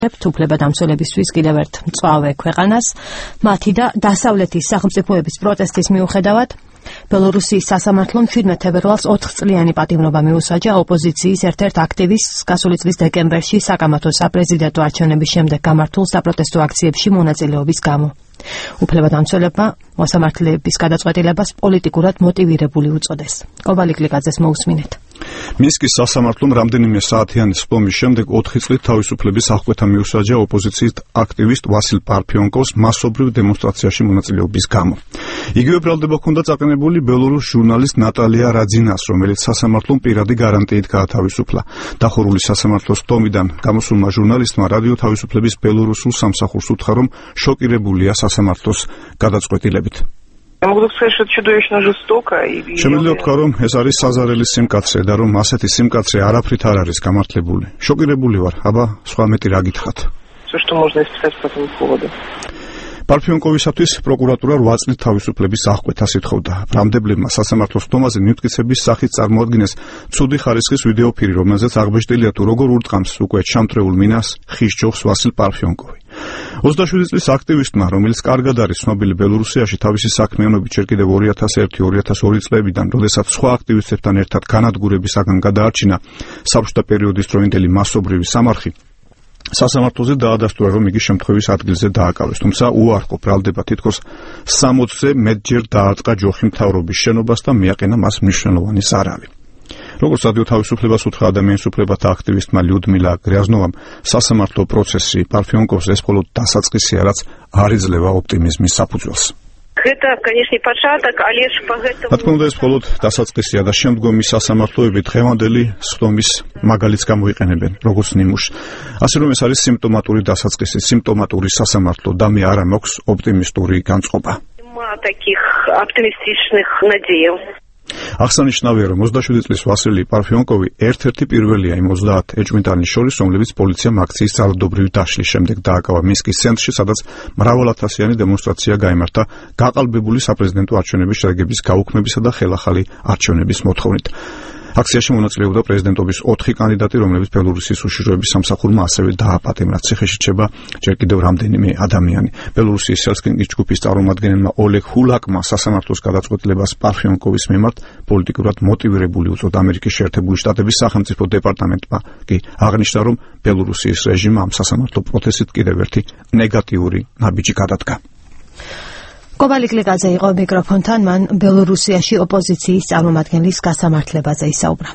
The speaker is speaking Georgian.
უფლებადამცველებისთვის კიდევ ერთ მწვავე ქვეყანას, მათი და დასავლეთის სახელმწიფოების პროტესტის მიუხედავად, ბელორუსიის სასამართლომ 17 თებერვალს 4 წლიანი პატიმრობა მიუსაჯა ოპოზიციის ერთ-ერთ აქტივისტს გასული წლის დეკემბერში საკამათო საპრეზიდენტო არჩევნების შემდეგ გამართულ საპროტესტო აქციებში მონაწილეობის გამო. უფლებადამცველებმა მოსამართლეების გადაწყვეტილებას პოლიტიკურად მოტივირებული უწოდეს. კობალი კლიკაძეს მოусმინეთ. მინსკის სასამართლომ რამდენიმე საათიანი სხდომის შემდეგ 4 წლით თავისუფლების აღკვეთა მიუსაჯა ოპოზიციის აქტივისტ ვასილ პარფიონკოვს მასობრივ დემონსტრაციაში მონაწილეობის გამო. იგივე ბრალდება ჰქონდა წაყენებული ბელორუს ჟურნალისტ ნატალია რაძინას, რომელიც სასამართლომ პირადი გარანტიით გაათავისუფლა. დახურული სასამართლოს სხდომიდან გამოსულმა ჟურნალისტმა რადიო თავისუფლების ბელორუსულ სამსახურს უთხრა, რომ შოკირებულია სასამართლოს გადაწყვეტილებით. Შემიძლია ვთქვა, რომ ეს არის საზარელი სიმკაცრე და რომ ასეთი სიმკაცრე არაფრით არ არის გამართლებული. შოკირებული ვარ, აბა სხვა მეტი რა გითხრათ. პარფიონკოვისათვის პროკურატურა 8 წლით თავისუფლების აღკვეთას ითხოვდა. ბრალდებლებმა სასამართლოს სხდომაზე მივტკიცების სახით წარმოადგინეს ცუდი ხარისხის ვიდეოფირი, რომელზეც აღბეჭდილია თუ როგორ ურტყამს უკვე ჩამთრეულ მინას ხის ჯოხს ვასილ პარფიონკოვი. 27 წლის აქტივისტმა, რომელიც კარგად არის ცნობილი ბელორუსიაში თავისი საქმიანობით ჯერ კიდევ 2001-2002 წლებიდან, როდესაც სხვა აქტივისტებთან ერთად განადგურებისაგან გადაარჩინა საბჭოთა პერიოდის დროინდელი მასობრივი სამარხი, სასამართლოზე დაადასტურა, რომ იგი შემთხვევის ადგილზე დააკავეს, თუმცა უარყო ბრალდება თითქოს 60-ზე მეტჯერ დაარტყა ჯოხი მთავრობის შენობას და მიაყენა მას მნიშვნელოვანი ზარავი. როგორც რადიო თავისუფლებას უთხრა ადამიანის უფლებათა აქტივისტმა ლიუდმილა გრიაზნოვამ, სასამართლო პროცესი პარფიონკოვს ეს მხოლოდ დასაწყისია, რაც არ იძლევა ოპტიმიზმის საფუძველს. რა თქმა უნდა, ეს მხოლოდ დასაწყისია და შემდგომი სასამართლოები დღევანდელი სხდომის მაგალითს გამოიყენებენ, როგორც ნიმუშს. ასე რომ ეს არის სიმპტომატური დასაწყისი, სიმპტომატური სასამართლო და მე არა მაქვს ოპტიმისტური განწყობა. აღსანიშნავია, რომ 27 წლის ვასილი პარფიონკოვი ერთ-ერთი პირველია იმ 30 ეჭვმიტანის შორის, რომლებიც პოლიციამ აქციის ძალადობრივი დაშლის შემდეგ დააკავა მინსკის ცენტრში, სადაც მრავალათასიანი დემონსტრაცია გაიმართა გაყალბებული საპრეზიდენტო არჩევნების შედეგების გაუქმებისა და ხელახალი არჩევნების მოთხოვნით. აქციაში მონაწილეობდა პრეზიდენტობის 4 კანდიდატი, რომლებიც ბელორუსის უშიშროების სამსახურმა ასევე დააპატიმრა. ციხეში რჩება ჯერ კიდევ რამდენიმე ადამიანი. ბელორუსის სელსკინგის ჯგუფის წარმომადგენელმა ოლეგ ჰულაკმა სასამართლოს გადაწყვეტილებას პარფიონკოვის მიმართ პოლიტიკურად მოტივირებული უწოდა. ამერიკის შეერთებული შტატების სახელმწიფო დეპარტამენტმა კი აღნიშნა, რომ ბელორუსის რეჟიმმა ამ სასამართლო პროცესით კიდევ ერთი ნეგატიური ნაბიჯი გადადგა. კობალი კლიკაძე იყო მიკროფონთან, მან ბელორუსიაში ოპოზიციის წარმომადგენლის გასამართლებაზე ისაუბრა.